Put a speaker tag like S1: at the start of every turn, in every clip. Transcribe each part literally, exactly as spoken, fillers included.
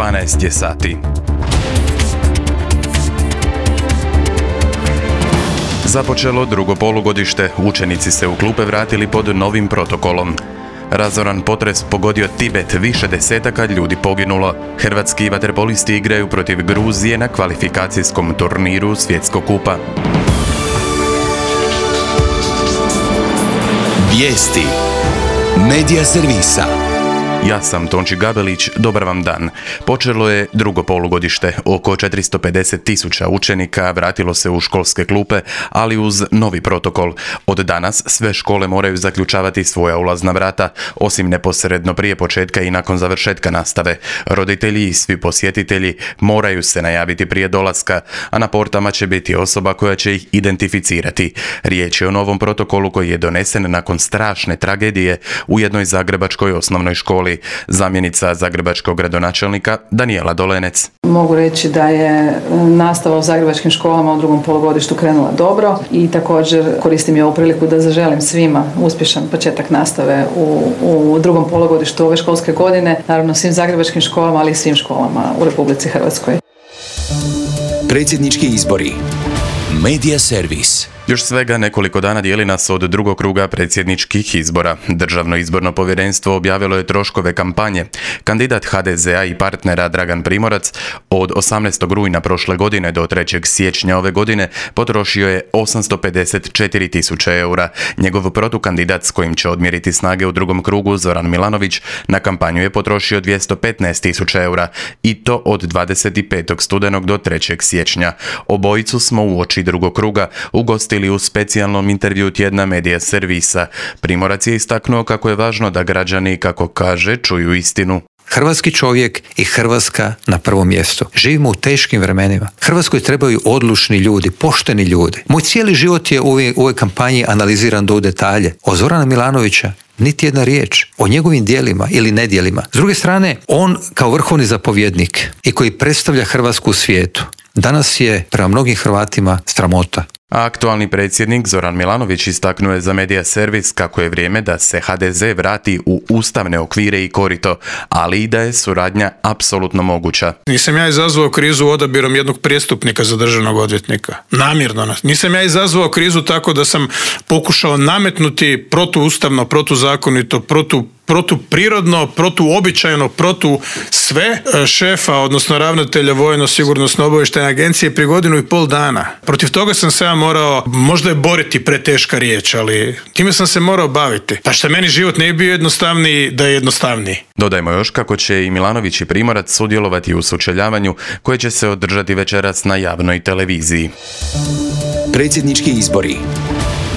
S1: dvanaest je sati. Započelo drugo polugodište, učenici se u klupe vratili pod novim protokolom. Razoran potres pogodio Tibet, više desetaka ljudi poginulo. Hrvatski vaterpolisti igraju protiv Gruzije na kvalifikacijskom turniru Svjetskog kupa.
S2: Vijesti Medija servisa.
S1: Ja sam Tonči Gabelić, dobar vam dan. Počelo je drugo polugodište. Oko četiristo pedeset tisuća učenika vratilo se u školske klupe, ali uz novi protokol. Od danas sve škole moraju zaključavati svoja ulazna vrata, osim neposredno prije početka i nakon završetka nastave. Roditelji i svi posjetitelji moraju se najaviti prije dolaska, a na portama će biti osoba koja će ih identificirati. Riječ je o novom protokolu koji je donesen nakon strašne tragedije u jednoj zagrebačkoj osnovnoj školi. Zamjenica zagrebačkog gradonačelnika Danijela Dolenec.
S3: Mogu reći da je nastava u zagrebačkim školama u drugom polugodištu krenula dobro i također koristim i ovu priliku da zaželim svima uspješan početak nastave u, u drugom polugodištu ove školske godine, naravno svim zagrebačkim školama, ali i svim školama u Republici Hrvatskoj.
S2: Predsjednički izbori. Medija servis.
S1: Još svega nekoliko dana dijeli nas od drugog kruga predsjedničkih izbora. Državno izborno povjerenstvo objavilo je troškove kampanje. Kandidat ha de zea i partnera Dragan Primorac od osamnaestog rujna prošle godine do trećeg siječnja ove godine potrošio je osamsto pedeset četiri tisuće eura. Njegov protukandidat s kojim će odmjeriti snage u drugom krugu, Zoran Milanović, na kampanju je potrošio dvjesto petnaest tisuća eura i to od dvadeset petog studenog do trećeg siječnja. Obojicu smo uoči drugog kruga ugostili u specijalnom intervju tjedna Medija servisa. Primorac je istaknuo kako je važno da građani, kako kaže, čuju istinu.
S4: Hrvatski čovjek i Hrvatska na prvom mjestu. Živimo u teškim vremenima. Hrvatskoj trebaju odlučni ljudi, pošteni ljudi. Moj cijeli život je u ovoj, u ovoj kampanji analiziran do u detalje. O Zorana Milanovića niti jedna riječ, o njegovim djelima ili nedjelima. S druge strane, on kao vrhovni zapovjednik i koji predstavlja Hrvatsku u svijetu, danas je prema mnogim Hrvatima sramota.
S1: A aktualni predsjednik Zoran Milanović istaknuo je za Medija servis kako je vrijeme da se ha de ze vrati u ustavne okvire i korito, ali i da je suradnja apsolutno moguća.
S5: Nisam ja izazvao krizu odabirom jednog prijestupnika za državnog odvjetnika. Namjerno. Nisam ja izazvao krizu tako da sam pokušao nametnuti protuustavno, protuzakonito, protu protuprirodno, protuobičajno, protu sve šefa, odnosno ravnatelja Vojno-sigurnosno obavještajne agencije prije godinu i pol dana. Protiv toga sam se ja morao, možda je boriti preteška riječ, ali time sam se morao baviti. Pa što meni život ne bi bio jednostavniji da je jednostavniji.
S1: Dodajmo još kako će i Milanović i Primorac sudjelovati u sučeljavanju koje će se održati večeras na javnoj televiziji.
S2: Predsjednički izbori.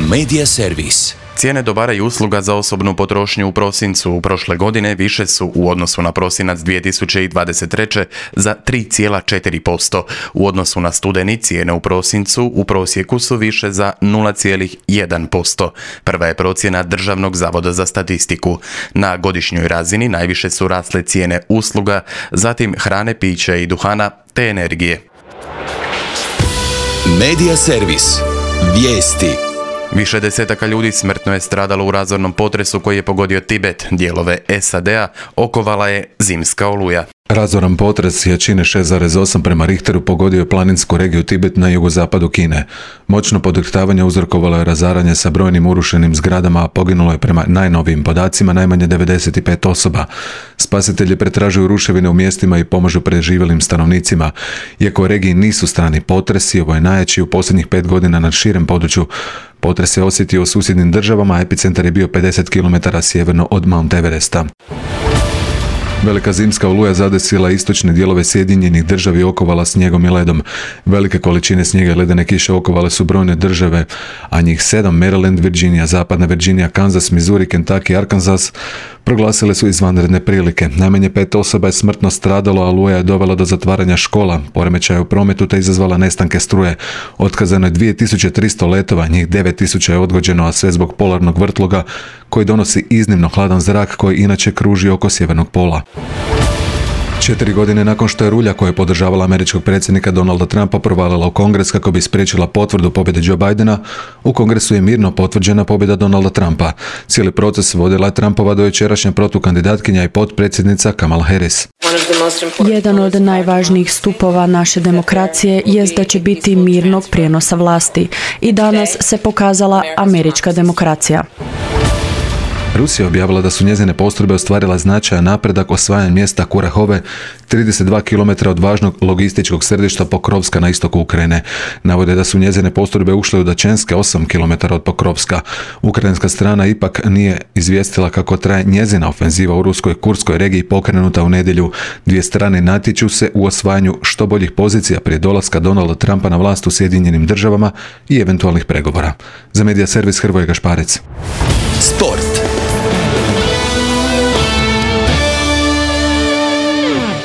S2: Medija servis.
S1: Cijene dobara i usluga za osobnu potrošnju u prosincu u prošle godine više su u odnosu na prosinac dvije tisuće dvadeset treće. za tri zarez četiri posto. U odnosu na studeni cijene u prosincu u prosjeku su više za nula zarez jedan posto. Prva je procjena Državnog zavoda za statistiku. Na godišnjoj razini najviše su rasle cijene usluga, zatim hrane, pića i duhana te energije.
S2: Medija servis. Vijesti.
S1: Više desetaka ljudi smrtno je stradalo u razornom potresu koji je pogodio Tibet. Dijelove es a de a okovala je zimska oluja.
S6: Razoran potres jačine šest zarez osam prema Richteru pogodio je planinsku regiju Tibet na jugozapadu Kine. Moćno podrhtavanje uzrokovalo je razaranje sa brojnim urušenim zgradama, a poginulo je prema najnovijim podacima najmanje devedeset pet osoba. Spasitelji pretražuju ruševine u mjestima i pomažu preživjelim stanovnicima. Iako u regiji nisu strani potresi, ovo je najjači u posljednjih pet godina na širem području. Potres se osjetio u susjednim državama, a epicentar je bio pedeset kilometara sjeverno od Mount Everesta. Velika zimska oluja zadesila istočne dijelove Sjedinjenih država i okovala snijegom i ledom. Velike količine snijega i ledene kiše okovale su brojne države, a njih sedam, Maryland, Virginia, Zapadna Virginia, Kansas, Missouri, Kentucky, Arkansas, proglasile su izvanredne prilike. Najmanje pet osoba je smrtno stradalo, a oluja je dovela do zatvaranja škola, poremećaja u prometu te izazvala nestanke struje. Otkazano je dvije tisuće tristo letova, njih devet tisuća je odgođeno, a sve zbog polarnog vrtloga koji donosi iznimno hladan zrak koji inače kruži oko sjevernog pola. Četiri godine nakon što je rulja koja je podržavala američkog predsjednika Donalda Trumpa provalila u Kongres kako bi spriječila potvrdu pobjede Joe Bidena, u Kongresu je mirno potvrđena pobjeda Donalda Trumpa. Cijeli proces vodila je Trumpova dojučerašnja protukandidatkinja i potpredsjednica Kamala Harris.
S7: Jedan od najvažnijih stupova naše demokracije jest da će biti mirnog prijenosa vlasti. I danas se pokazala američka demokracija.
S6: Rusija je objavila da su njezine postrojbe ostvarile značajan napredak osvajanjem mjesta Kurahove, trideset dva kilometra od važnog logističkog središta Pokrovska na istoku Ukrajine. Navode da su njezine postrojbe ušle u Dačenske, osam kilometara od Pokrovska. Ukrajinska strana ipak nije izvijestila kako traje njezina ofenziva u ruskoj Kurskoj regiji pokrenuta u nedjelju. Dvije strane natječu se u osvajanju što boljih pozicija prije dolaska Donalda Trumpa na vlast u Sjedinjenim državama i eventualnih pregovora. Za Medija servis Hrvoje Gašparec.
S2: Sport.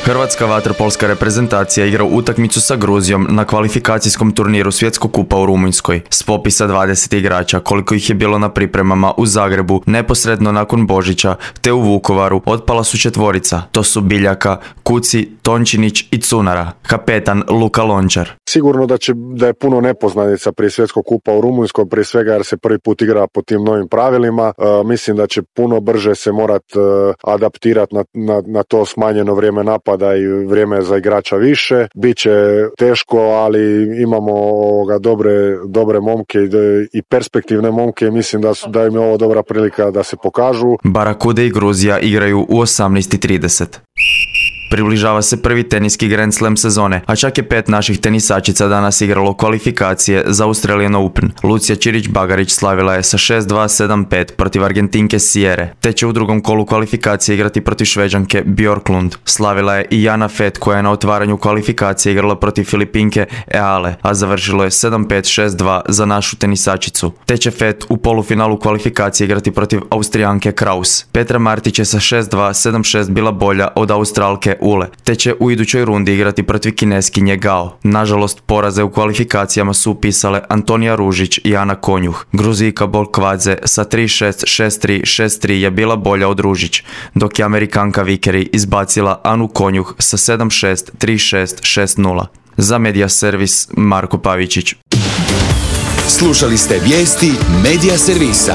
S8: Hrvatska vaterpolska reprezentacija igra utakmicu sa Gruzijom na kvalifikacijskom turniru Svjetskog kupa u Rumunjskoj. S popisa dvadeset igrača, koliko ih je bilo na pripremama u Zagrebu, neposredno nakon Božića, te u Vukovaru, otpala su četvorica. To su Biljaka, Kuci, Tončinić i Cunara. Kapetan Luka Lončar.
S9: Sigurno da će da je puno nepoznanica prije Svjetskog kupa u Rumunjskoj, prije svega jer se prvi put igra po tim novim pravilima. E, mislim da će puno brže se morat e, adaptirati na, na, na to smanjeno vrijeme napada i vrijeme za igrača više. Biće teško, ali imamo ovoga dobre, dobre momke i, i perspektivne momke i mislim da, su, da im je ovo dobra prilika da se pokažu.
S8: Barakude i Gruzija igraju u osamnaest i trideset. Približava se prvi teniski Grand Slam sezone, a čak je pet naših tenisačica danas igralo kvalifikacije za Australian Open. Lucija Čirić-Bagarić slavila je sa šest dva sedam pet protiv Argentinke Sierre, te će u drugom kolu kvalifikacije igrati protiv Šveđanke Bjorklund. Slavila je i Jana Fett koja je na otvaranju kvalifikacije igrala protiv Filipinke Eale, a završilo je sedam pet šest dva za našu tenisačicu. Te će Fett u polufinalu kvalifikacije igrati protiv Austrijanke Kraus. Petra Martić je sa šest dva sedam šest bila bolja od Australke Ule, te će u idućoj rundi igrati protiv Kineskinje Gao. Nažalost, poraze u kvalifikacijama su upisale Antonija Ružić i Ana Konjuh. Gruzijka Bolkvadze sa tri šest šest tri šest tri je bila bolja od Ružić, dok je Amerikanka Vikeri izbacila Anu Konjuh sa sedam šest tri šest šest nula. Za Medija servis Marko Pavičić.
S2: Slušali ste vijesti Medija servisa.